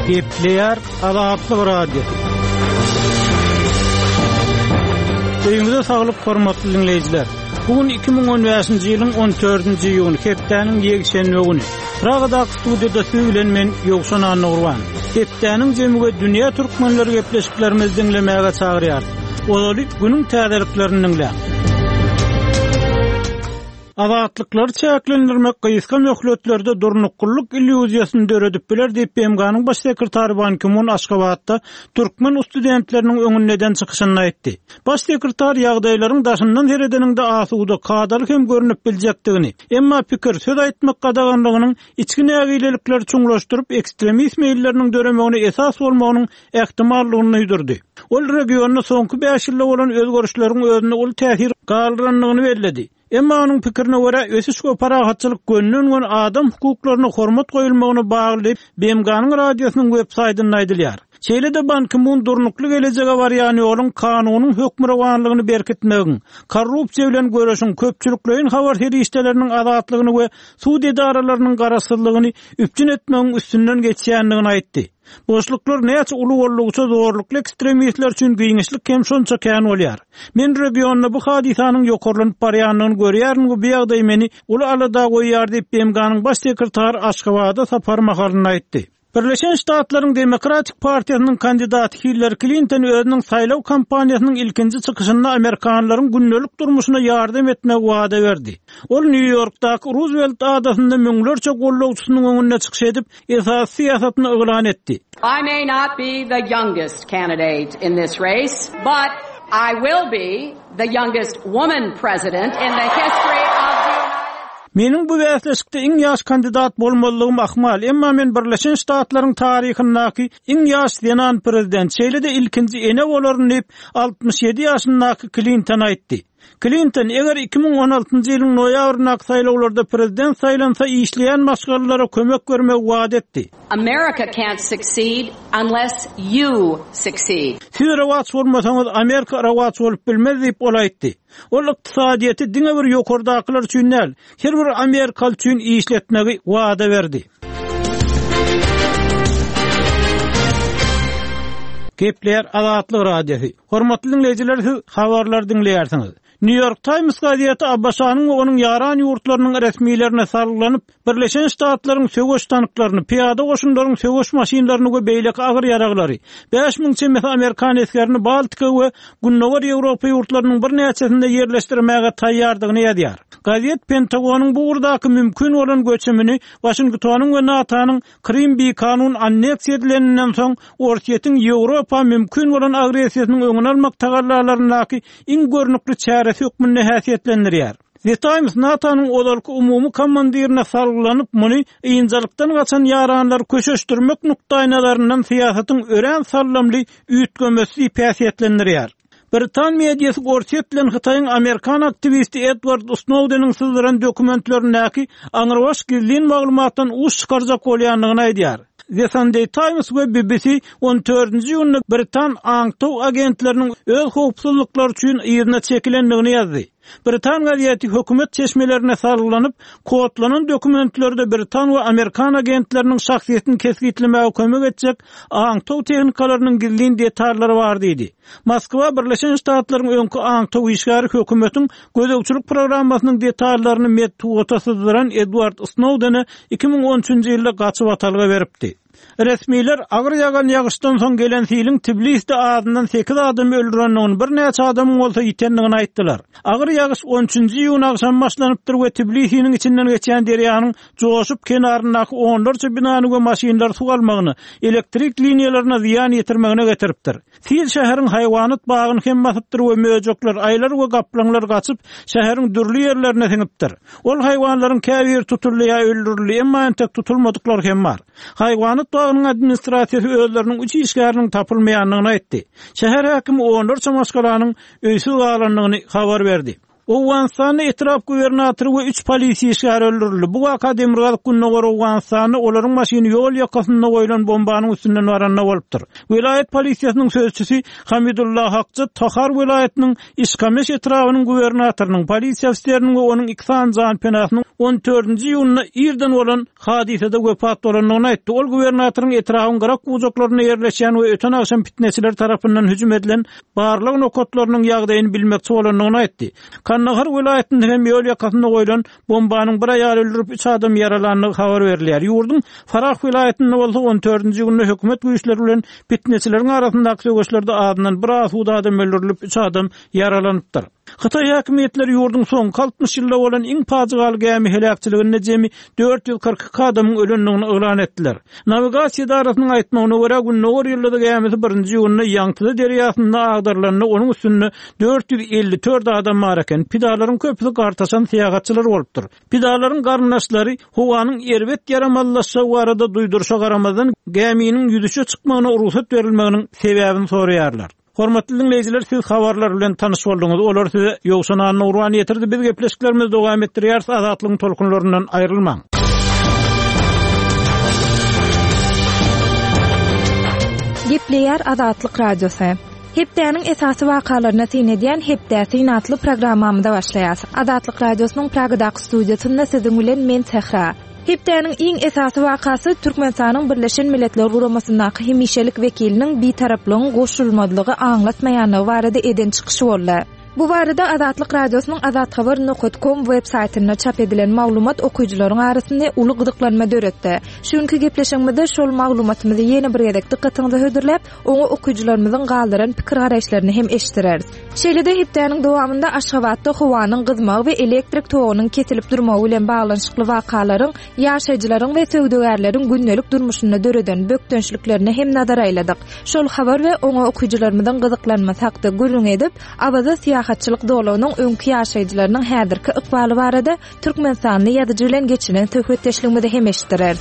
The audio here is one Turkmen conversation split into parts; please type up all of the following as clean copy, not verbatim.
Gepleýär Azatlyk Radiosy. Öýüňize saglyk hormatly diňleýjiler. Bu gün 2015-nji ýylyň 14-nji iýuny, hepdäniň ýekşenbe güni. Pragadaky studiýada siz bilen men Ýowşan Annagurban. Hepdäniň jemi we dünýä türkmenleri gepleşiklerimizi diňlemäge çagyrýarys. Ozaly günüň täzeliklerini diňläň. Azatlyklary çäklendirmek gysga möhletlerde durnuklylyk illýuziýasyny döredip biler diýip, BMG-niň Baş sekretary Ban Ki-mun Aşgabatda türkmen ustudentleriniň öňünde eden çykyşynda aýtdy. Baş sekretar ýagdaýlaryň daşyndan seredeniňde asuda, kadaly hem görnüp biljekdigini, emma pikir, söz aýtmak gadaganlygynyň içki nägilelikleri çuňlaşdyryp, ekstremist meýilleriniň döremegine esas bolmagynyň ähtimallygyny duýdurdy. Ol regionda soňky bäş ýylda bolan özgerişleriň özünde uly täsir galdyrandygyny belledi. Emma onuň pikirine görä, ösüş we parahatçylyk gönden-göni adam hukuklaryna hormat goýulmagyna bagly diýip, BMG-niň radiosynyň web saýtynda aýdylýar. Şeýle-de Ban Ki-mun durnukly gelejege barýan ýoluň kanunyň hökmürowanlygyny berkitmegiň, korrupsiýa bilen göreşiň, köpçülikleýin habar serişdeleriniň azatlygyny we sud edaralarynyň garaşsyzlygyny üpjün etmegiň üstünden geçýändigini aýtdy. Boşluklar näçe uly boldugyça zorlukly ekstremistler üçin giňişlik hem şonça kän bolýar. Men regionda bu hadysanyň ýokarlanyp barýandygyny görýärin we bu ýagdaý meni uly alada goýýar diýip, BMG-niň Baş sekretary Aşgabada sapary mahalynda aýtdy. Birleşen Ştatlaryň Demokratik partiýasynyň kandidaty Hillari Klinton özüniň saýlaw kampaniýasynyň ilkinji çykyşynda amerikanlaryň gündelik durmuşyna ýardam etmegi wada berdi. Ol Nýu-Ýorkdaky Ruzwelt adasynda müňlerçe goldawçysynyň öňünde çykyş edip, esasy syýasatyny yglan etdi. I may not be the youngest candidate in this race, but I will be the youngest woman president in the history of the United Meniň bu bäsleşikde iň ýaş kandidat bolmazlygym ahmal, emma men Birleşen Ştatlaryň taryhyndaky iň ýaş zenan prezident, şeýle-de ilkinji ene bolaryn diýip, 67 ýaşyndaky Klinton aýtdy. Klinton, eger 2016-njy ýylyň noýabryndaky saýlawlarda prezident saýlansa, işleýän maşgalalara kömek bermegi wada etdi. America can't succeed unless you succeed. Siz rowaç bolmasaňyz, Amerika rowaç bolup bilmez diýip, ol aýtdy. Ol ykdysadyýeti diňe bir ýokardakylar üçin däl, her bir amerikaly üçin işletmegi wada berdi. Gepleýär Azatlyk Radiosy. Hormatly diňleýjiler siz habarlary diňleýärsiňiz. New York Times gazeti ABŞ-nyň we onuň ýaran ýurtlarynyň resmilerine salgylanyp, Birleşen Ştatlaryň söweş tanklaryny, pyýada goşunlaryň söweş maşynlaryny we beýleki agyr ýaraglary, 5000 çemesi amerikan esgerini Baltika we Gündogar Ýewropa ýurtlarynyň birnäçesinde ýerleşdirmäge taýýardygyny ýazýar. Gazet Pentagonyň bu ugurdaky mümkin bolan göçümini Waşingtonyň we NATO-nyň Krym bikanun anneksiýa edileninden soň Orsýetiň Ýewropa mümkin bolan agressiýasynyň öňüni almak tagallalaryndaky iň görnükli çäresi hökmünde häsiýetlendirýär. The Times NATO-nyň ozalky umumy komandirine salgylanyp, muny ynjalykdan gaçan ýaranlary köşeşdirmek nukdaýnazaryndan syýasatyň örän sallamly üýtgemesi diýip häsiýetlendirýär. Britan mediasy Orsýet bilen Hytaýyň amerikan aktiwisti Edward Snowdeniň syzdyran dokumentlerindäki aňrybaş gizlin maglumatdan uç çykarjak bolýandygyny aýdýar. The Sunday Times we BBC on dördünji iýunda britan aňtaw agentleriniň öz howpsuzlyklary üçin yzyna çekilendigini ýazdy. Britan gazeti hökümet çeşmelerine salgylanyp, kodlanan dokumentlerde britan we amerikan agentleriniň şahsyýetini kesgitlemäge kömek etjek aňtaw tehnikalarynyň gizlin detallary bar diýdi. Moskwa Birleşen Ştatlaryň öňki aňtaw işgäri hökümetiň gözegçilik programmasynyň detallaryny metbugata syzdyran Edward Snowdene 2013-nji ýylda gaçybatalga beripdi. Resmiler agyr ýagan ýagyşdan soň gelen siliň Tbilisde azyndan sekiz adamy öldürendigini, birnäçe adamyň bolsa ýitendigini aýtdylar. Agyr ýagyş on üçünji iýun agşamy başlanypdyr we Tbilisiniň içinden geçýän derýanyň joşup kenaryndaky onlarça binany we maşynlary suw almagyna, elektrik liniýalaryna zyýan ýetirmegine getiripdir. Sil şäheriň haýwanat bagyny hem basypdyr we möjekler, aýylar we gaplaňlar gaçyp, şäheriň dürli ýerlerine siňipdir. Ol haýwanlaryň käbiri tutuldy ýa öldürildi, emma entek tutulmadyklar hem bar. Haýwanat bagynyň administrasiýasy özleriniň üç işgäriniň tapylmaýandygyny aýtdy. Şäher häkimi onlarça maşgalanyň öýsüz galandygyny habar berdi. Owganystanda etrap gubernatory we üç polisiýa işgäri öldürildi. Bu waka demirgazyk-gündogar Owganystanda olaryň maşyny ýol ýakasynda goýlan bombanyň üstünden baranda bolupdyr. Welaýat polisiýasynyň sözçüsi Hamidullah Hakja Tahar welaýatynyň Işkameş etrabynyň gubernatorynyň, polisiýa ofiseriniň we onuň iki sany janpenasynyň on dördünji iýunda irden bolan hadysada wepat bolandygyny aýtdy. Ol gubernatoryň etrabyň gyrak-bujaklarynda ýerleşýän we öten agşam pitneçiler tarapyndan hüjüm edilen barlag nokatlarynyň ýagdaýyny bilmekçi bolandygyny aýtdy. Kandahar welaýatynda hem ýol ýakasynda goýlan bombanyň bir aýaly öldürip, üç adamy ýaralandygy habar berilýär. Ýurduň Farah welaýatynda bolsa on dördünji günde hökümet güýçleri bilen pitneçileriň arasyndaky söweşlerde azyndan bir asuda adam öldürilip, üç adam ýaralanypdyr. Hytaý häkimiýetleri ýurduň soňky 60 ýylda bolan iň pajygaly gämi heläkçiliginde jemi 442 adamyň ölendigini yglan etdiler. Nawigasiýa edarasynyň aýtmagyna görä, Gündogar ýyldyzy gämisi birinji iýunda Ýangtze derýasynda agdarylanda onuň üstünde 454 adam bar eken. Pidalaryň köpüsi gartaşan syýahatçylar bolupdyr. Pidalaryň garyndaşlary howanyň erbet ýaramazlaşjagy barada duýduryşa garamazdan, gäminiň ýüzüşe çykmagyna rugsat berilmeginiň sebäbini soraýarlar. Hormatly diňleýjiler, siz habarlar bilen tanyş bolduňyz. Olary size Ýowşan Annagurban ýetirdi. Biz gepleşiklerimizi dowam etdirýäris. Azatlygyň tolkunlaryndan aýrylmaň. Gepleýär Azatlyk Radiosy. Hepdäniň esasy wakalaryna syn edýän Hepdä syn atly programmamyza başlaýas. Azatlyk Radiosynyň Pragadaky studiýasynda siziň bilen men Sähra. Hepdäniň iň esasy wakasy Türkmenistanyň Birleşen Milletler Guramasyndaky hemişelik wekiliniň bitaraplygyň goşulmazlygy aňlatmaýanlygy barada eden çykyşy boldy. Bu barada Azatlyk Radiosynyň Azathabar nokat kom web saýtynda çap edilen maglumat okyjylaryň arasynda uly gyzyklanma döretdi. Şu günki gepleşigimizde şol maglumatymyzy ýene bir gezek dykgatyňyza hödürläp, oňa okyjylarymyzyň galdyran pikir-garaýyşlaryny hem eşitdireris. Şeýle-de hepdäniň dowamynda Aşgabatda howanyň gyzmagy we elektrik togunyň kesilip durmagy bilen baglanyşykly wakalaryň ýaşaýjylaryň we söwdagärleriň gündelik durmuşynda döreden bökdençliklerine hem nazar aýladyk. Şol habar we oňa okyjylarymyzyň gyzyklanmasy hakda gürrüň edip, Awaza syýahatçylyk zolagynyň öňki ýaşaýjylarynyň häzirki ykbaly barada Türkmenistanly ýazyjy bilen geçiren söhbetdeşligimizi hem eşitdireris.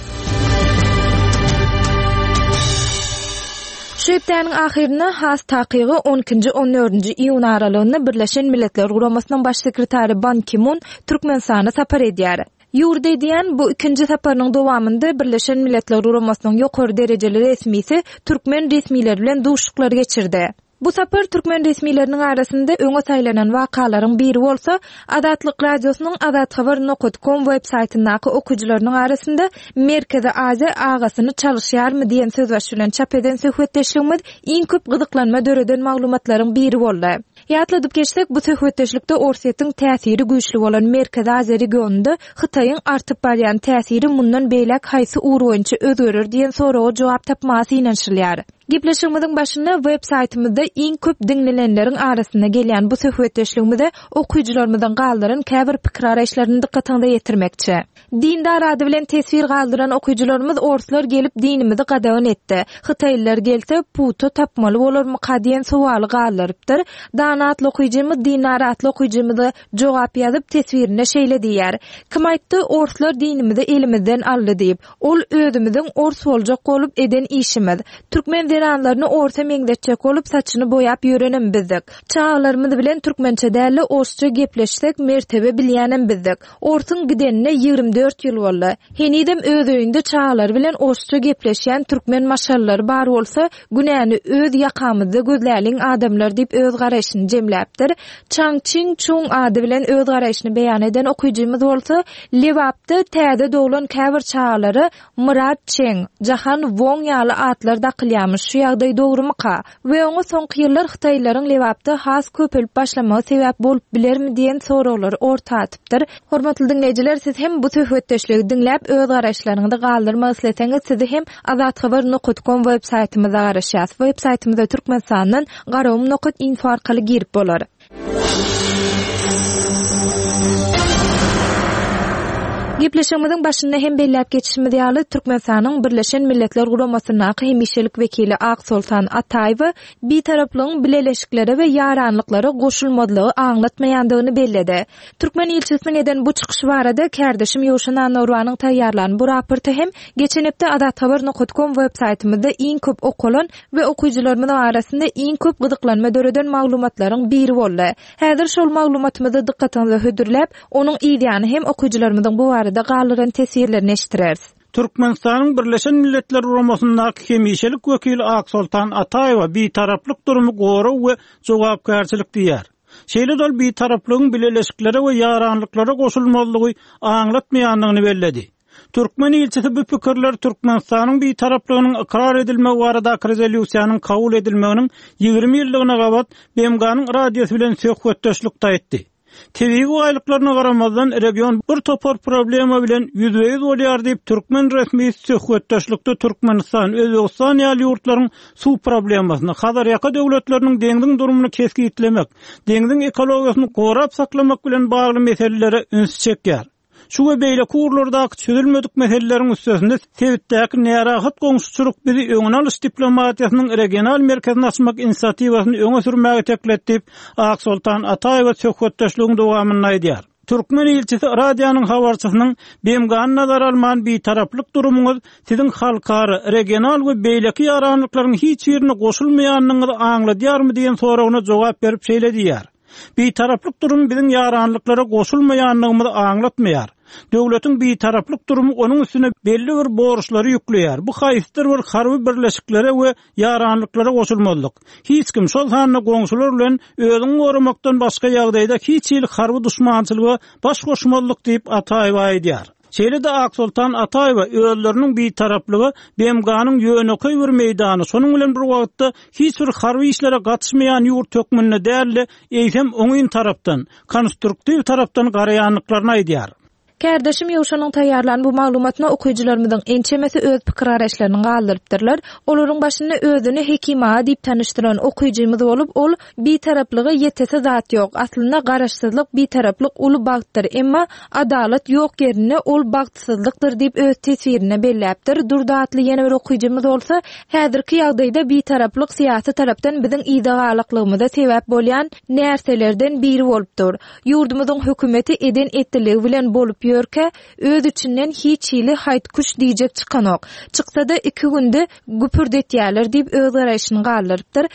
Şu hepdäniň ahyrynda, has takygy, on ikinji, on dördünji iýun aralygynda Birleşen Milletler Guramasynyň Baş sekretary Ban Ki-mun Türkmenistana sapar edýär. Ýurda edýän bu ikinji saparynyň dowamynda Birleşen Milletler Guramasynyň ýokary derejeli resmisi türkmen resmileri bilen duşuşyklar geçirdi. Bu sapar türkmen resmileriniň arasynda öňe saýlanan wakalaryň biri bolsa, Azatlyk Radiosynyň Azathabar nokat kom web saýtyndaky okyjylarynyň arasynda Merkezi Aziýa agasyny çalyşýarmy diýen sözbaşy bilen çap eden söhbetdeşligimiz iň köp gyzyklanma döreden maglumatlaryň biri boldy. Ýatladyp geçsek, bu söhbetdeşlikde Orsýetiň täsiri güýçli bolan Merkezi Aziýa regionynda Hytaýyň artyp barýan täsiri mundan beýläk haýsy ugur boýunça özgerer diýen soraga jogap tapmaga synanyşylýar. Gepleşigimiziň başynda web saýtymyzda iň köp diňlenenleriň arasynda gelýän bu söhbetdeşligimize okyjylarymyzyň galdyran käbir pikir-garaýyşlaryny dykgatyňyza ýetirmekçi. Dindar ady bilen teswir galdyran okyjylarymyz orslar gelip dinimizi gadagan etdi. Hytaýlylar gelse puta tapmaly bolarmyka diýen sowaly galdyrypdyr. Dana atly okyjymyz Dindar atly okyjymyza jogap ýazyp teswirinde şeýle diýýär, Kim aýtdy orslar dinimizi elimizden aldy diýip? Ol özümiziň ors boljak bolup eden işimiz. Türkmen zenanlaryny orsa meňzetjek bolup saçyny boýap ýörenem bizdik. Çagalarymyz bilen türkmençe dälde orsça gepleşsek mertebe bilýänem bizdik. Orsuň gidenine 24 ýyl boldy. Henizem öz öýünde çagalary bilen orsça gepleşýän türkmen maşgalalary bar bolsa günäni öz ýakamyzda gözläliň adamlar diýip öz garaýşyny jemläpdir. Çaň Çiň Çuň ady bilen öz garaýşyny beýan eden okyjymyz bolsa, Lebapda täze doglan käbir çagalara Myrat Çeň, Jahan Woň ýaly atlar dakylýamyş, şu ýagdaý dogrumyka? We oňa soňky ýyllar hytaýlylaryň Lebapda has köpelip başlamagy sebäp bolup bilermi diýen soraglary orta atypdyr. Hormatly diňleýjiler siz hem bu söhbetdeşligi diňläp öz garaýyşlaryňyzy galdyrmak isleseňiz sizi hem azathabar nokat kom web saýtymyzda garaşýas. Web saýtymyza Türkmenistandan garagum nokat info arkaly girip bolar. Gepleşigimiziň başynda hem belläp geçişimiz ýaly, Türkmenistanyň Birleşen Milletler Guramasyndaky hemişelik wekili Aksoltan Ataýewa Bitaraplygyň bileleşiklere we ýaranlyklara goşulmazlygy aňlatmaýandygyny belledi. Türkmen ilçisiniň eden bu çykyşy barada kärdeşim Ýowşan Annagurbanyň taýýarlan bu raporty hem geçen hepde azathabar nokat kom web saýtymyzda iň köp okalan we okyjylarymyzyň arasynda iň köp gyzyklanma döreden maglumatlaryň biri boldy. Häzir şol maglumatymyzy dykgatyňyza hödürläp, onuň yzýany hem okyjylarymyzyň bu barada galdyran teswirlerini eşitdireris. Türkmenistanyň Birleşen Milletler Guramasyndaky hemişelik wekili Aksoltan Ataýewa bitaraplyk durumy gorag we jogapkärçilik diýýär. Şeýle-de ol bitaraplygyň bileleşiklere we ýaranlyklara goşulmazlygy aňlatmaýandygyny belledi. Türkmen ilçisi bu pikirleri Türkmenistanyň bitaraplygynyň ykrar edilmegi baradaky rezolýusiýanyň kabul edilmeginiň 20 ýyllygyna gabat BMG-niň radiosy bilen söhbetdeşlikde aýtdy. Tebigy baýlyklaryna garamazdan, region bir topar problema bilen ýüzbe-ýüz bolýar diýip, türkmen resmisi söhbetdeşlikde Türkmenistan, Özbegistan ýaly ýurtlaryň suw problemasyny, Hazarýaka döwletleriniň deňziň durumyny kesgitlemek, deňziň ekologiýasyny gorap saklamak bilen bagly meselelere ünsi çekýär. Şu we beýleki ugurlardaky çözülmedik meseleleriň üstesinde sebitdäki närahat goňşuçylyk bizi öňüni alyş diplomatiýasynyň regional merkezini açmak inisiatiwasyny öňe sürmäge itekledi diýip, Aksoltan Ataýewa söhbetdeşligiň dowamynda aýdýar. Türkmen ilçisi radionyň habarçysynyň BMG-ni nazara alman bitaraplyk durumyňyz siziň halkara, regional we beýleki ýaranlyklaryň hiç birine goşulmaýandygyňyzy aňladýarmy diýen soragyna jogap berip şeýle diýýär. Bitaraplyk durumy biziň ýaranlyklara goşulmaýandygymyzy aňlatmaýar. Döwletiň bitaraplyk durumy onuň üstüne belli bir borçlary ýükleýär, bu haýsydyr bir harby birleşiklere we ýaranlyklara goşulmazlyk. Hiç kim, şol sanda goňşular bilen özüňi goramakdan başga ýagdaýda hiç hili harby duşmançylyga baş goşmazlyk diýip, Ataýewa aýdýar. Şeýle-de Aksoltan Ataýewa özleriniň bitaraplyga BMG-niň ýönekeý bir meýdany, şonuň bilen bir wagtda hiç bir harby işlere gatyşmaýan ýurt hökmünde däl-de, eýsem oňyn tarapdan, konstruktiw tarapdan garaýandyklaryny aýdýar. Kärdeşim Ýowşanyň taýýarlan bu maglumatyna okyjylarymyzyň ençemesi öz pikir-garaýyşlaryny galdyrypdyrlar. Olaryň başynda özüni Hekim aga diýip tanyşdyran okyjymyz bolup, ol Bitaraplyga ýetesi zat ýok. Aslynda garaşsyzlyk, bitaraplyk uly bagtdyr. Emma adalat ýok ýerinde ol bagtsyzlykdyr diýip öz teswirinde belläpdir. Durdy atly ýene bir okyjymyz bolsa, Häzirki ýagdaýda bitaraplyk syýasy tarapdan biziň yza galaklygymyza sebäp bolýan närselerden biri bolup dur. Ýurdumyzyň hökümeti eden-etdiligi bilen bolup ýörkä, öz içinden hiç hili haýt-küş diýjek çykanok. Çyksa-da iki günde güpürdetýäler diýip öz garaýşyny galdyrypdyr.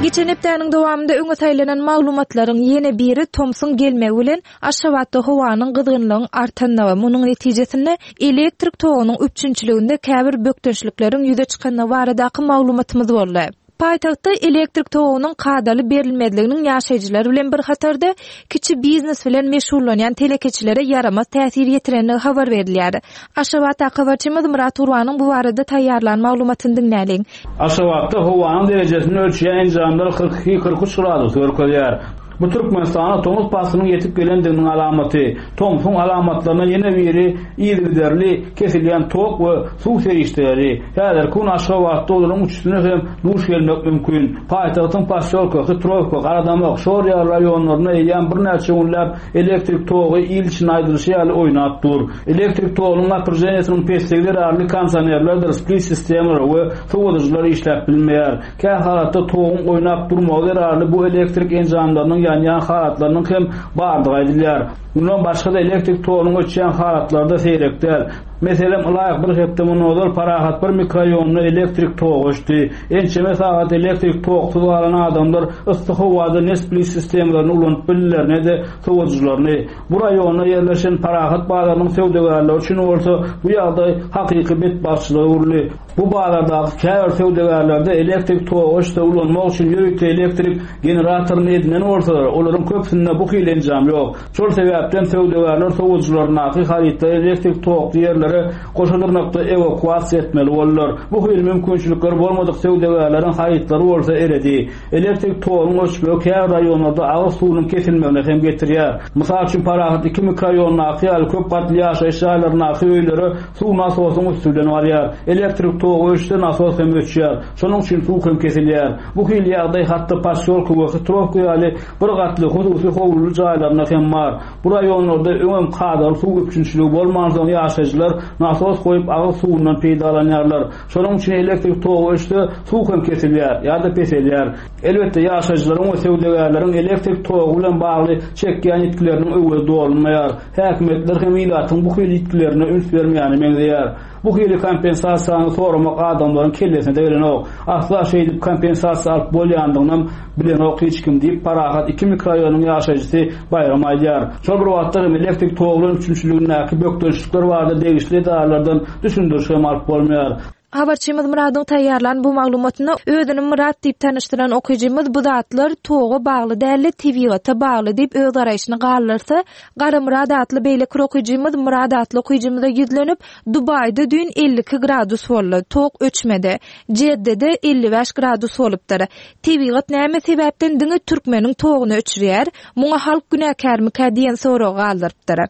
Geçen hepdäniň dowamynda öňe saýlanan maglumatlaryň ýene biri tomsuň gelmegi bilen Aşgabatda howanyň gyzgynlygyň artandygy, munuň netijesinde elektrik togunyň üpjünçiliginde käbir bökdençlikleriň ýüze çykandygy baradaky maglumatymyz boldy. Paýtagtda elektrik togunyň kadaly berilmezliginiň ýaşaýjylar bilen bir hatarda, kiçi biznes bilen meşgullanýan telekeçilere ýaramaz täsir ýetirendigi habar berilýär. Aşgabatdaky habarçymyz Myrat Gurbanyň bu barada taýýarlan maglumatyny diňläliň. Aşgabatda howanyň derejesini ölçeýän enjamlar 42, 43 gradus görkezýär. Bu Türkmenistana tomus paslynyň ýetip gelendiginiň alamaty. Tomsuň alamatlaryndan ýene biri yzygiderli kesilýän tok we suw serişdeleri. Häzirki gün Aşgabatda olaryň üçüsine hem duş gelmek mümkin. Paýtagtyň Posýolka, Hytrowka, Garadamak, Şor ýaly raýonlarynda eýýäm birnäçe günläp elektrik togy il içinde aýdylyşy ýaly oýnap dur. Elektrik togunyň napryženiýesiniň pesligi zerarly kondisionerlerdir split-sistemalary we sowadyjylar işläp bilmeýär. Kähalatda toguň oýnap durmagy zerarly bu elektrik enjamlarynyň ýanýan halatlarynyň hem bardygy aýdylýar. Mundan başga-da elektrik togunyň öçýän halatlary-da seýrek däl. Meselem, ylaýyk bir hepde mundan ozal Parahat bir mikroraýonynda elektrik togy öçdi. Ençeme sagat elektrik toksuz galan adamlar yssy howada ne split sistemalaryny ulanyp bildiler, ne-de sowadyjylaryny. Bu raýonda ýerleşen Parahat bazarynyň söwdagärleri üçin bolsa bu ýagdaý hakyky betbagtçylyga öwrüldi. Bu bazardaky käbir söwdagärlerde elektrik togy öçse ulanmak üçin ýörite elektrik generatoryny edinen bolsalar, olaryň köpüsinde bu hili enjam ýok. Şol sebäpden söwdagärler sowadyjylaryndaky harytlary elektrik tokly ýerlere. ýerlere goşa dyrnakda ewakuasiýa etmeli boldular. Bu hili mümkinçilikleri bolmadyk söwdagärleriň harytlary bolsa eredi. Elektrik togunyň öçmegi käbir raýonlarda agyz suwunyň kesilmegine hem getirýär. Mysal üçin, Parahat II mikroraýondaky ýaly köp gatly ýaşaýyş jaýlaryndaky öýlere suw nasosyň üsti bilen barýar. Elektrik togy öçse, nasos hem öçýär. Şonuň üçin suw hem kesilýär. Bu hili ýagdaý hatda posýolka we Hitrowka ýaly bir gatly hususy howluly jaýlarynda hem bar. Bu raýonlarda öňem kadaly suw üpjünçiligi bolmansoň ýaşaýjylar nasos goýup agyz suwundan peýdalanýarlar. Şonuň üçin elektrik togy öçse, suw hem kesilýär ýa-da peselýär. Elbetde, ýaşaýjylaryň we söwdagärleriň elektrik togy bilen bagly çekýän ýitgileriniň öwezi dolunmaýar. Häkimiýetler hem ilatyň bu hili ýitgilerine üns bermeýäne meňzeýär. Bu hili kompensasiýany soramak adamlaryň kellesine-de gelenok. Asla şeýdip kompensasiýa alyp bolýandygynam bilenok hiç kim diýip, Parahat II mikroraýonynyň ýaşaýjysy Baýram aýdýar. Şol bir wagtda hem elektrik togy bilen üpjünçiligindäki bökdençlikler barada degişli edaralardan düşündiriş hem alyp bolmaýar. Habarçymyz Myradyň taýýarlan bu maglumatynda özüni Myrat diýip tanyşdyran okyjymyz bu zatlar toga bagly däl-de tebigata bagly diýip öz garaýşyny galdyrsa, Garamyrat atly beýleki bir okyjymyz Myrat atly okyjymyza ýüzlenip, Dubaýda düýn 52 gradus boldy, tok öçmedi. Jeddede 55 gradus bolupdyr. Tebigat näme sebäpden diňe türkmeniň toguny öçürýär? Muňa halk günäkärmikä diýen soragy galdyrypdyr.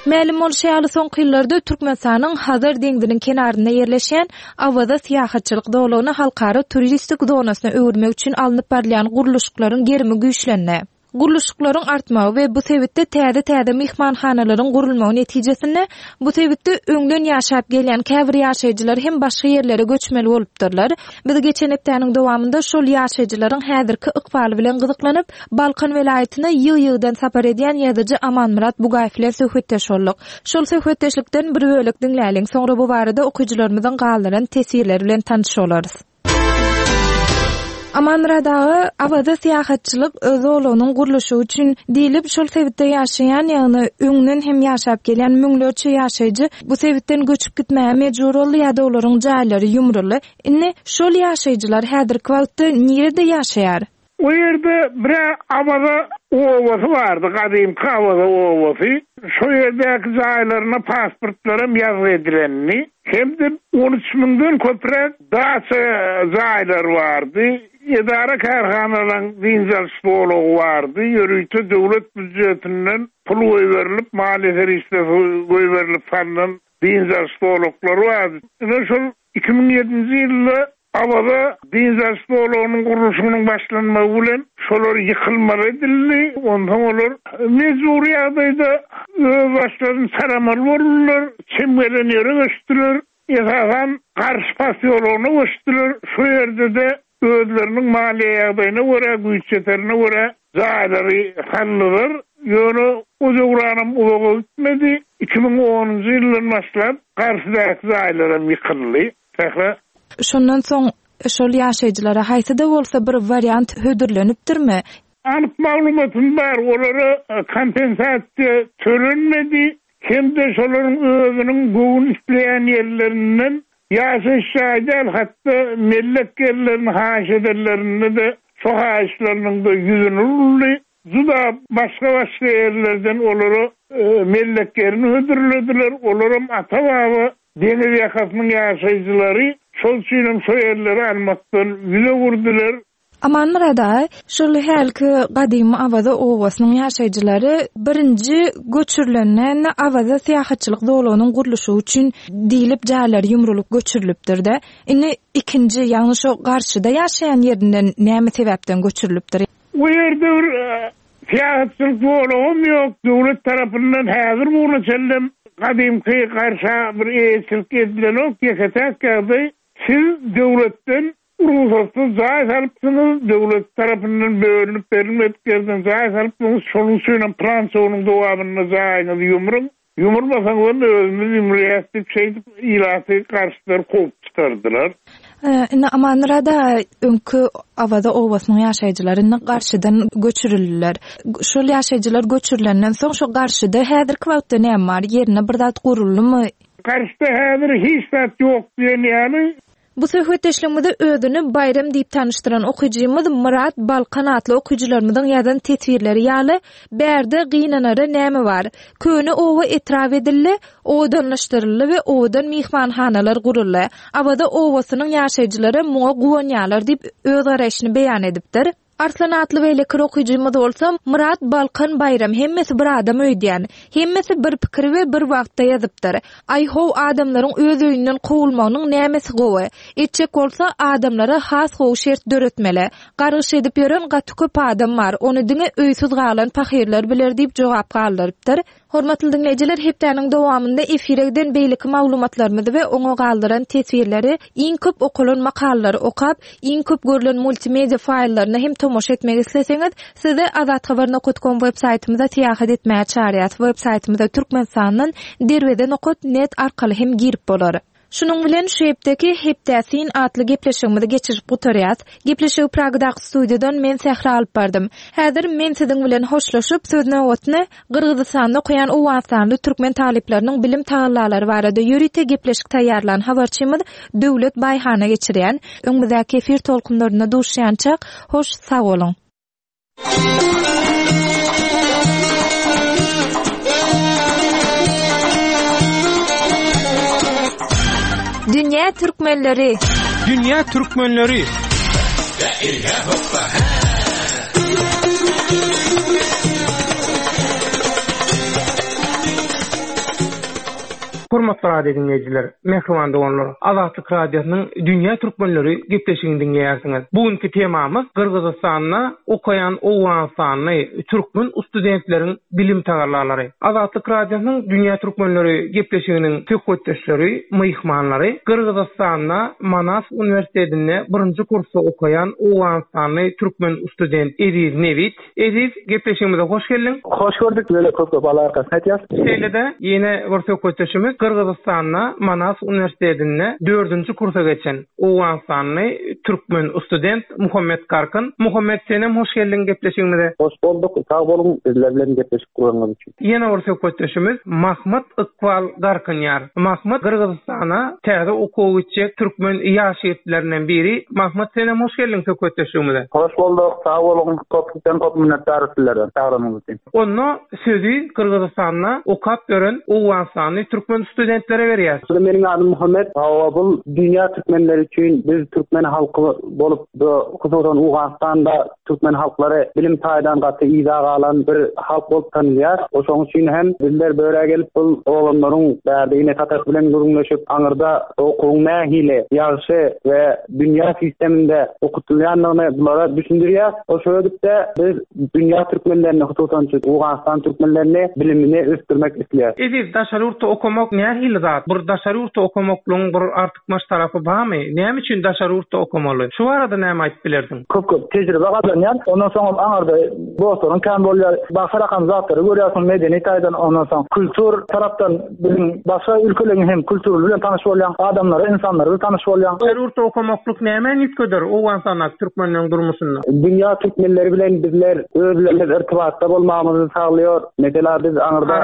Mälim bolşy ýaly, soňky ýyllarda Türkmenistanyň Hazar deňziniň kenarynda ýerleşýän Awaza syýahatçylyk zolagyny halkara turistik zonasyna öwürmek üçin alnyp barylýan gurluşyklaryň gerimi güýçlendi. Gurluşyklaryň artmagy we bu sebitde täze-täze myhmanhanalaryň gurulmagy netijesinde bu sebitde öňden ýaşap gelýän käbir ýaşaýjylar hem başga ýerlere göçmeli bolupdyrlar. Biz geçen hepdäniň dowamynda şol ýaşaýjylaryň häzirki ykbaly bilen gyzyklanyp, Balkan welaýatyna ýygy-ýygydan sapar edýän ýazyjy Amanmyrat Bugaýew bilen söhbetdeş bolduk. Şol söhbetdeşlikden bir bölek diňläliň, soňra bu barada okyjylarymyzyň galdyran teswirleri bilen tanyş bolarys. Amanmyrat aga, Awaza syýahatçylyk zolagynyň gurluşygy üçin diýlip, şol sebitde ýaşaýan, ýagny öňden hem ýaşap gelýän müňlerçe ýaşaýjy bu sebitden göçüp gitmäge mejbur boldy ýa-da olaryň jaýlary ýumruldy. Indi şol ýaşaýjylar häzirki wagtda nirede ýaşaýar? O ýerde bir-ä Awaza obasy bardy, gadymky Awaza obasy. Şo ýerdäki jaýlaryna pasportlaram ýazgy edilendi. Hem-de on üç müňden köpräk daça jaýlary bardy. Edara-kärhanalaryň dynç alyş zolagy bardy. Ýörite döwlet býujetinden pul goýberilip, maliýe serişdesi goýberilip salnan dynç alyş zolaklary bardy. Ine şol 2007-nji ýylda Awaza dynç alyş zolagynyň gurluşygynyň başlanmagy bilen şolar ýykylmaly edildi. Onsoň olar mejbury ýagdaýda öz başlaryny saramaly boldular, çem gelen ýere göçdüler. Esasan Garş posýologyna göçdüler. Şo ýerde-de özleriniň maliýe ýagdaýyna görä, güýç-ýeterine görä jaýlary saldylar. Ýöne o döwranam uzaga gitmedi. 2010-njy ýyldan başlap Garşydaky jaýlaram ýykyldy. Sähra. Şondan soň şol ýaşaýjylara haýsy-da bolsa bir wariant hödürlenipdirmi? Anyk maglumatym bar, olara kompensasiýa tölenmedi hem-de şolaryň özüniň göwün isleýän ýerlerinden ýaşaýyş jaýy däl, hatda mellek ýerlerini haýyş edenlerinde-de şo haýyşlarynyň-da ýüzüni uruldy. Juda başga-başga ýerlerden olara mellek ýerini hödürlediler, olaram ata-baba Deňiz ýakasynyň ýaşaýjylary şol üçinem şo ýerleri almakdan ýüz öwürdiler. Amanmyrat aga, şol hälki gadymy Awaza obasynyň ýaşaýjylary birinji göçürilende Awaza syýahatçylyk zolagynyň gurluşygy üçin diýlip jaýlary ýumrulyp göçürilipdir-de. Indi ikinji, ýagny şo garşyda ýaşaýan ýerinden näme sebäpden göçürilipdir? O ýerde bir Syýahatçylyk zolagam ýok, döwlet tarapyndan häzir bu güne çenlem gadymky garşa bir eýeçilik edilenok, ýeke-täk ýagdaý siz döwletden rugsatsyz jaý salypsyňyz, döwlet tarapyndan bölünip berilmedik ýerden jaý salypsyňyz, şonuň üçinem pylança günüň dowamynda jaýyňyzy ýumruň, Ýumurmasaňyzam özümiz ýumurýas diýip şeýdip ilaty garşydan kowup çykardylar. Indi Amanmyrat aga öňki Awaza obasynyň ýaşaýjylary indi garşydan göçürildiler. Şol ýaşaýjylar göçürilenden soň şo garşyda häzirki wagtda näme bar? Ýerine bir zat guruldymy? Garşyda häzir hiç zat ýok diýen ýaly. Bu söhbetdeşligimizi özüni Baýram diýip tanyşdyran okyjymyz Myrat Balkan atly okyjylarymyzyň ýazan teswirleri ýaly, Bärde gynanara näme bar? Köne oba etrap edildi, owadanlaşdyryldy we owadan myhmanhanalar guruldy. Awaza obasynyň ýaşaýjylaram muňa guwanýarlar diýip, öz garaýşyny beýan edipdir. Arslan atly beýleki okyjymyz bolsa, Myrat Balkan Baýram hemmesi bir adam öýdýän. Hemmesi bir pikiri we bir wagtda ýazypdyr. Aý how adamlaryň öz öýünden kowulmagynyň nämesi gowy? Etjek bolsa adamlara has gowy şert döretmeli. Gargyş edip ýören gaty köp adam bar, ony diňe öýsüz galan pahyrlar biler diýip jogap galdyrypdyr. Hormatly diňleýjiler, hepdäniň dowamynda efire giden beýleki maglumatlarymyzy we oňa galdyran teswirleri, iň köp okalan makalalary okap, iň köp görlen multimedia faýllaryna hem tomaşa etmek isleseňiz, sizi azathabar nokat kom web saýtymyza syýahat etmäge çagyrýas. Web saýtymyza Türkmenistandan derweze nokat net arkaly hem girip bolar. Şunuň bilen şu hepdeki Hepdä syn atly gepleşigimizi geçirip gutarýas. Gepleşigi Pragadaky studiýadan men Sähra alyp bardym. Häzir men siziň bilen hoşlaşyp, söz nobatyny Gyrgyzystanda okaýan owganystanly türkmen talyplarynyň bilim tagallalary barada ýörite gepleşik taýýarlan habarçymyz Döwlet Baýhana geçirýän. Öňümizdäki efir tolkunlarynda duşýançak, hoş sag boluň! Dünýä türkmenleri! Dünýä türkmenleri! Hormatly radio diňleýjiler, mähriban doganlar, Azatlyk Radiosynyň Dünýä türkmenleri gepleşigini diňleýärsiňiz. Bu günki temamyz Gyrgyzystanda okaýan owganystanly türkmen studentleriň bilim tagallalary. Azatlyk Radiosynyň Dünýä türkmenleri gepleşiginiň söhbetdeşleri, myhmanlary Gyrgyzystanda Manas uniwersitetinde birinji kursda okaýan owganystanly türkmen student Eziz Nebit, Eziz, gepleşigimize hoş geldiň. Hoş gördük, sizede köp köp Alla arkasyn aýtýas. Şeýle-de, ýene bir söhbetdeşimiz Gyrgyzystanda Manas uniwersitetinde dördünji kursa geçen owganystanly türkmen student Muhammet Garkyn. Muhammet, senem hoş geldiň gepleşigimize. Hoş bolduk, sag boluň bizler bilen gepleşik guranyňyz üçin. Ýene bir söhbetdeşimiz Mahmyt Ykbal Garkynýar. Mahmyt Gyrgyzystana täze okuwa gitjek türkmen ýaş ýigitlerinden biri. Mahmyt senem hoş geldiň söhbetdeşligimize. Hoş bolduk, sag boluň, köpden köp minnetdar sizlere çagyranyňyz üçin. Onda sözi Gyrgyzystanda okap ýören owganystanly türkmen studentlere berýäs. Meniň adym Muhammet. Hawa bul dünýä türkmenleri üçin biz türkmen halky bolup bu hususan Owganystanda Türkmen halklary bilim taýdan gaty yza galan bir halk bolup tanylýar. Şonuň üçin hem bizler börä gelip bul oglanlaryň bärde ene atasy bilen gürrüňleşip aňyrda okuwyň nähili ýagşy we dünýä sisteminde okutylýandygyny bulara düşündirýäs. Şeýdip-de biz dünýä türkmenlerini hususan şu Owganystan türkmenlerini bilimini ösdürmek isleýäs. Eziz daşary ýurtda okamak nähili zat? Bir daşary ýurtda okamaklygyň bir Artykmaç tarapy barmy? Näme üçin daşary ýurtda okamaly? Şu barada näme aýdyp bilersiň? Köp köp tejribe gazanýan. Ondan soňam aňarda dostlaryň kän bolýar. Başga rakam zatlary görýärsiň medeni taýdan ondan soň kultur tarapdan biziň başga ülkeleriň hem kultury bilen tanyş bolýaň. Adamlary, ynsanlary bilen tanyş bolýaň. Daşary ýurtda okamaklyk nämäni üýtgeder Owganystandaky türkmenleriň durmuşynda? Dünýä türkmenleri bilen bizler özlerimiz irtibatda bolmagymyzy saglaýar. Mesela biz aňyrda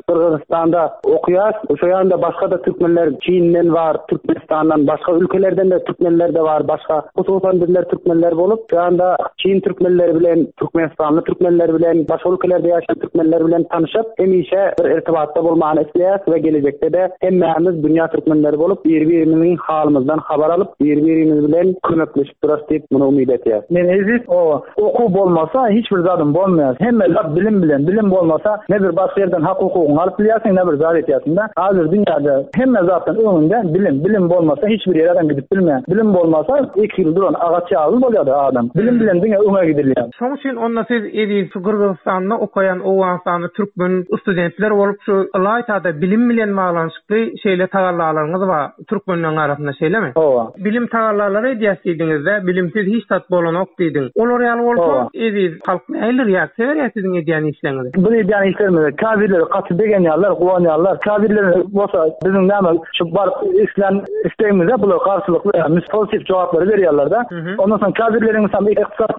Gyrgyzystanda okaýas. Şo ýanda başga-da türkmenler Çinden bar, Türkmenistandan, başga ülkelerden-de türkmenler-de bar, başga. Hususan bizler türkmenler bolup, şo ýanda Çin türkmenleri bilen, türkmenistanly türkmenler bilen, başga ülkelerde ýaşaýan türkmenler bilen tanyşyp, hemişe bir irtibatda bolmany isleýäs we gelejekde-de hemmämiz dünýä türkmenleri bolup, biri-birimiziň halymyzdan habar alyp, biri-birimiz bilen kömekleşip durarys diýip, muny umyt etýäs. Men Eziz oba. Okuw bolmasa hiç bir zadyň bolmaýar. Hemme zat bilim bilen. Bilim bolmasa ne bir başga ýerden hak hukugyňy alyp bilýärsiň ne bir zat etýärsiňdä. Hazir dünýäde hemme zatdan öňünde bilim. Bilim bolmasa hiç bir ýere adam gidip bilmeýär. Bilim bolmasa ekili duran agaç ýaly bolýar-da adam. Bilim bilen diňe öňe gidilýär. Şoň üçin onda siz Eziz şu Gyrgyzystanda okaýan Owganystanly türkmen studentler bolup şu ylaýtada bilim bilen baglanyşykly şeýle tagallalaryňyz bar. Türkmenleň arasynda şeýlemi? Hawa. Bilim tagallalary edýäs diýdiňizde, bilimsiz hiç zat bolanok diýdiň. Olar ýaly bolsa, eziz halk nähili reaksiýa berýär siziň edýän işleriňize? Biz edýän işlerimize käbirleri gaty begenýärler, guwanýarlar. Käbirleri bolsa biziň näme şu baryp islän islegimize bular garşylykly, pozitif jogaplary berýärler-de. Ondan soň käbirleriň ykdysady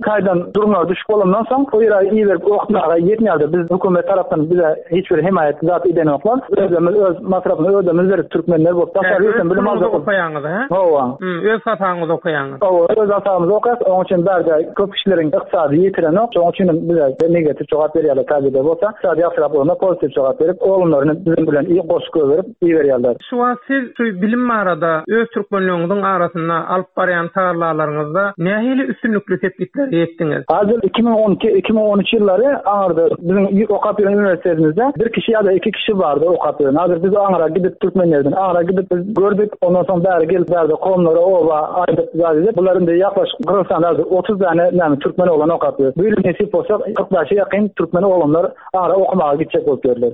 taýdan durumlary düşük bolandan soň. Onsoň o ýere iberip okatmaga ýetmeýärdi. Biz hökümet tarapdan bize hiç bir hemaýat zat edenoklar. Özümiz öz masrapyny özümiz berip türkmenler bolup daşary ýurtdan bilim aljak bolup. Okaýaňyz hä? Hawa. Öz hasabyňyza okaýaňyz. Hawa, öz hasabymyza okaýas. Onuň üçin bärde köp kişileriň ykdysady ýetirenok. Şonuň üçin hem bize negatiw jogap berýärler täjirler bolsa. Ykdysady ýagşyrak bolanda pozitiw jogap berip, oglanlaryny biziň bilen goşup goýberip iberýärler. Şu wagt siz şu bilim barada öz türkmenleriňiziň arasynda alyp barýan tagallalaryňyzda nähili üstünlikli sepgitlere ýetdiňiz? Hazir 2012, 2013 ýyllary aňyrda biziň okap ýören uniwersitetimizde bir kişi ýa-da iki kişi bardy okap ýören. Hazir biz aňyra gidip türkmenlerden aňyra gidip biz gördük. Ondan soň bäri gelip bärde kowumlara oba aýdyp zat edip bular indi ýaklaşyk Gyrgyzystanda hazir 30 däne näme türkmen oglany okap ýör. Bu ýyl nesip bolsa 45-e ýakyn türkmen oglanlar aňyra okamaga gitjek bolup ýörler.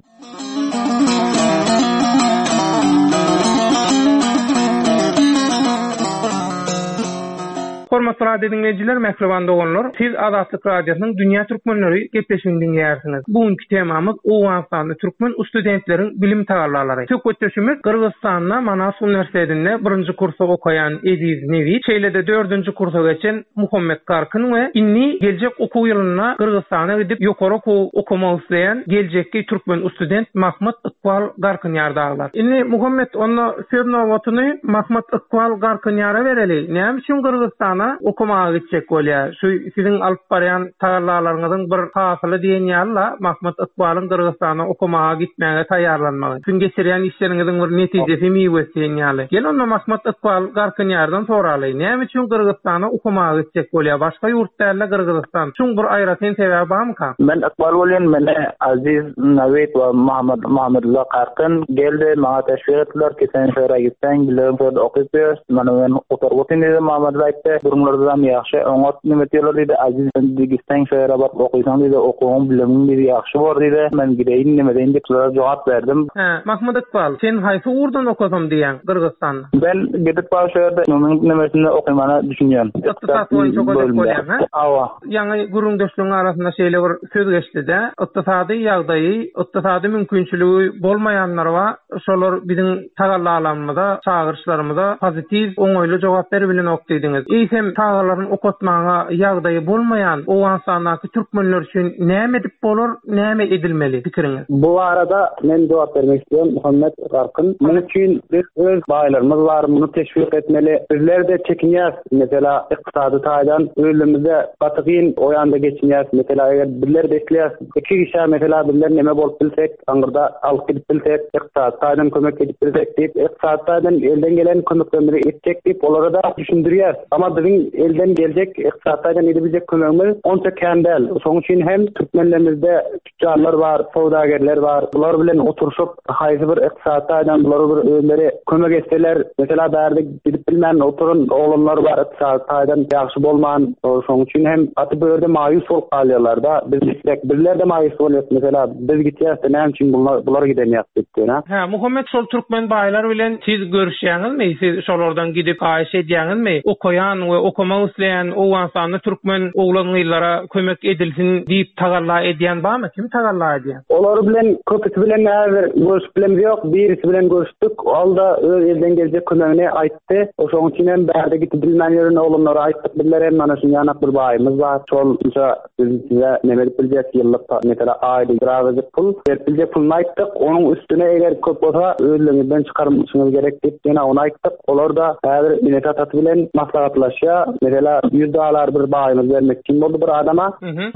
Hormatly radio diňleýjiler, mähriban doganlar, siz Azatlyk Radiosynyň Dünýä Türkmenleri gepleşigini diňleýärsiňiz. Bu günki temamyz Owganystanda türkmen ustudentleriň bilim tagallalary. Söhbetdeşimiz Gyrgyzystanda Manas uniwersitetinde birinji kursda okaýan Eziz Nebit, şeýle-de dördünji kursa geçen Muhammet Garkyn we indi geljek okuw ýylynda Gyrgyzystana gidip ýokary okuw okamak isleýän geljekki türkmen ustudent Mahmyt Ykbal Garkynýar dagylar. Indi Muhammet onda söz nobatyny Mahmyt Ykbal Garkynýara bereli. Näme üçin Gyrgyzystana okamaga gitjek bolýar? Şu siziň alyp barýan tagallalaryňyzyň bir hasyly diýen ýaly-la Mahmyt Ykbalyň Gyrgyzystana okamaga gitmäge taýýarlanmagy. Siziň geçirýän işleriňiziň bir netijesi, miwesi diýen ýaly. Gel onda Mahmyt Ykbal Garkynýardan soraly. Näme üçin Gyrgyzystana okamaga gitjek bolýar? Başga ýurt däl-de Gyrgyzystan. Şuň bir aýratyn sebäbi barmyka? Men Ykbal bolýan, meni Aziz Nawid we Muhammad Muhammedulla Garkyn geldi, maňa teşwik etdiler ki, sen şu ýere gitseň, bilerin şu ýerde okyp ýörs. Mana men gutaryp otyryn diýdi, Muhammedulla aýtdy. Durumlaryzam ýagşy, oňat neme etýärler diýdi. Aziz sen diýdi, gitseň şu ýere baryp okysaň diýdi, okuwyň, bilimiň diýdi, ýagşy bor diýdi. Men gideýin, neme edeýin diýip, şulara jogap berdim. Hä, Mahmyt Ykbal, sen haýsy ugurdan okasam diýýäň Gyrgyzystanda? Ben gidip bar şu ýerde munuň nemesinde okymana düşünýän. Ykdysat boýunça okajak bolýaň, hä? Hawa. Ýaňy gürrüňdeşligiň arasynda şeýle bir söz geçdi-de, ykdysady ýagdaýy, ykdysady mümkinçiligi bolmaýanlar bar, şolar biziň tagallalarymyza, çagyryşlarymyza pozitiw, oňaýly jogap beribilenok diýdiňiz. Eýsem, çagalaryny okatmaga ýagdaýy bolmaýan Owganystandaky türkmenler üçin näme edip bolar, näme edilmeli, pikiriňiz? Bu barada men jogap bermek isleýän, Muhammet Garkyn. Munuň üçin biz öz baýlarymyz bar, muny teşwik etmeli. Bizler-de çekinýäs, mesela, ykdysady taýdan özümizde gaty kyn o ýanda geçinýäs. Mesela, eger bizler-de isleýäs, iki kişä mesela bizler neme bolup bilsek, aňyrda alyp gidip bilsek, ykdysady taýdan kömek edip bilsek diýip, ykdysady taýdan elden gelen kömeklerimizi etjek diýip, olara-da düşündirýäs. Amma biziň elden geljek ykdysady taýdan edebiljek kömegimiz onça kän däl. Şonuň üçin hem türkmenlerimizde tütjarlar bar, söwdagerler bar. Bular bilen oturyşyp, haýsy bir ykdysady taýdan bulara bir özleri kömek etseler, mesela bärde gidip bilmän oturan oglanlar bar, ykdysady taýdan ýagşy bolman, şonuň üçin hem gaty bu ýerde maýus bolup galýarlar-da. Biz gitsek, bizler-de maýus bolýas, mesela biz gitýäs-de näme üçin bular bular gidenýak diýip, ýöne. Hä, Muhammet şol türkmen baýlar bilen siz görüşýäňizmi? Siz şolardan gidip haýyş edýäňizmi? Okaýan we okamak isleýän Owganystanda türkmen oglan-gyzlara kömek edilsin diýip tagalla edýän barmy? Kim tagalla edýär? Olar bilen köpüsi bilen häzir görüşüp bilemiz ýok. Birisi bilen görüşdik. Ol-da öz elden geljek kömegini aýtdy. Şonuň üçin hem bärde gidip bilmän ýören oglanlara aýtdyk bizler hem mana şuny ýanak bir baýymyz bar. Şol munça biz size neme edip biljek ýyllyk mesela aýda birazajyk pul berip biljek puluny aýtdyk. Onuň üstüne eger köp bolsa özleriňizden çykarmaşyňyz gerek diýip ýene ony aýtdyk. Olar-da häzir enesi-atasy bilen maslahatlaşýar. Mesela 100 dollar bir baýymyz bermekçi boldy bir adama,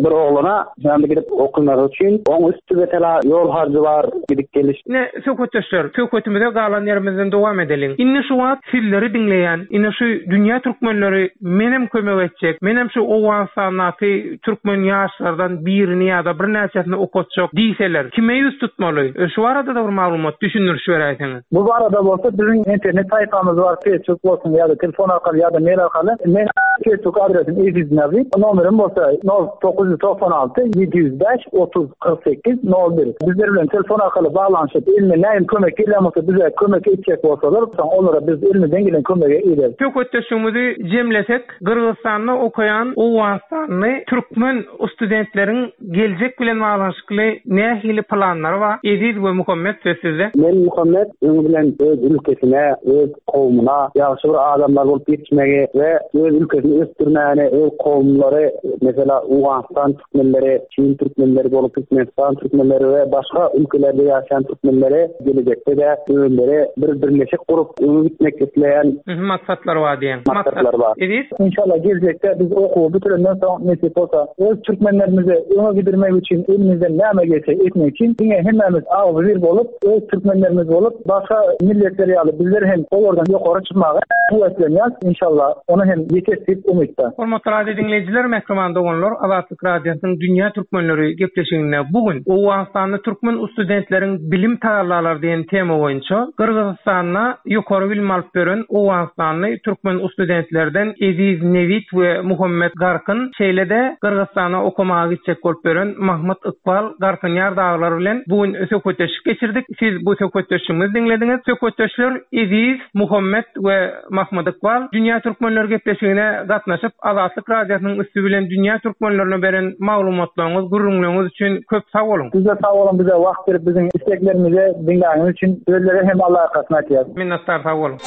bir oglana. Şonda gidip okamagy üçin oň üsti mesela ýol harjy bar, gidip geliş. Ine, söhbetdeşler, söhbetimize galan ýerimizden dowam edeliň. Indi şu wagt sizleri diňleýän, ine şu dünýä türkmenleri menem kömek etjek, menem şu Owganystandaky türkmen ýaşlardan birini ýa-da birnäçesini okatjak diýseler, kime ýüz tutmaly? Şu barada-da bir maglumat, düşündiriş beräýseňiz. Bu barada bolsa biziň internet saýpamyz bar, Facebook bolsun ýa-da telefon arkaly ýa-da mail arkaly. Meň Facebook adresim Eziz Nabi, nomerim bolsa nol 996 705 30 48 01. Bizler bilen telefon arkaly baglanyşyp, elinden nähili kömek gelýän bolsa bize kömek etjek bolsalar, soň olara biz elimizden gelen kömegi ederis. Söhbetdeşligimizi jemlesek, Gyrgyzystanda okaýan owganystanly türkmen studentleriň geljek bilen baglanyşykly nähili planlary bar? Eziz we Muhammet söz sizde. Men Muhammet öňi bilen öz ülkesine, öz kowumyna ýagşy bir adamlar bolup ýetişmegi we. öz ülkesini ösdürmäne, öz kowumlary, mesela Owganystan türkmenleri, Çin türkmenleri bolup Türkmenistan türkmenleri we başga ülkelerde ýaşaýan türkmenleri gelejekde-de özleri bir birleşik gurup öňe gitmek isleýän Maksatlary bar diýýäň. Maksatlary bar. Eziz. Inşallah geljekde biz okuwy bitirenden soň nesip bolsa öz türkmenlerimizi öňe gidirmek üçin elimizden näme gelse etmek üçin diňe hemmämiz agzybir bolup öz türkmenlerimiz bolup başga milletler ýaly bizler hem olardan ýokary çykmaga höweslenýäs inşallah ony hem ýeteris diýip umytda. Hormatly radio diňleýjiler, mähriban doganlar, Azatlyk Radiosynyň Dünýä Türkmenleri gepleşiginde bu gün Owganystanda türkmen ustudentleriň bilim tagallalary diýen tema boýunça Gyrgyzystanda ýokary bilim alyp ýören owganystanly türkmen ustudentlerden Eziz Nebit we Muhammet Garkyn, şeýle-de Gyrgyzystana okamaga gitjek bolup ýören Mahmyt Ykbal Garkynýar dagylar bilen bu gün söhbetdeşlik geçirdik. Siz bu söhbetdeşligimizi diňlediňiz. Söhbetdeşler Eziz, Muhammet we Mahmyt Ykbal Dünýä Türkmenleri gepleşigine gatnaşyp, Azatlyk Radiosynyň üsti bilen dünýä türkmenlerine beren maglumatlaryňyz, gürrüňleriňiz üçin köp sag boluň! Siz-de sag boluň bize wagt berip biziň isleglerimizi diňläniňiz üçin sizlere hem Alla arkasyny aýtýas. Minnetdar sag boluň.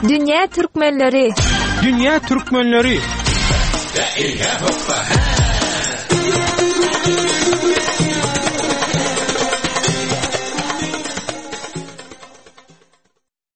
Dünýä türkmenleri. Dünýä türkmenleri.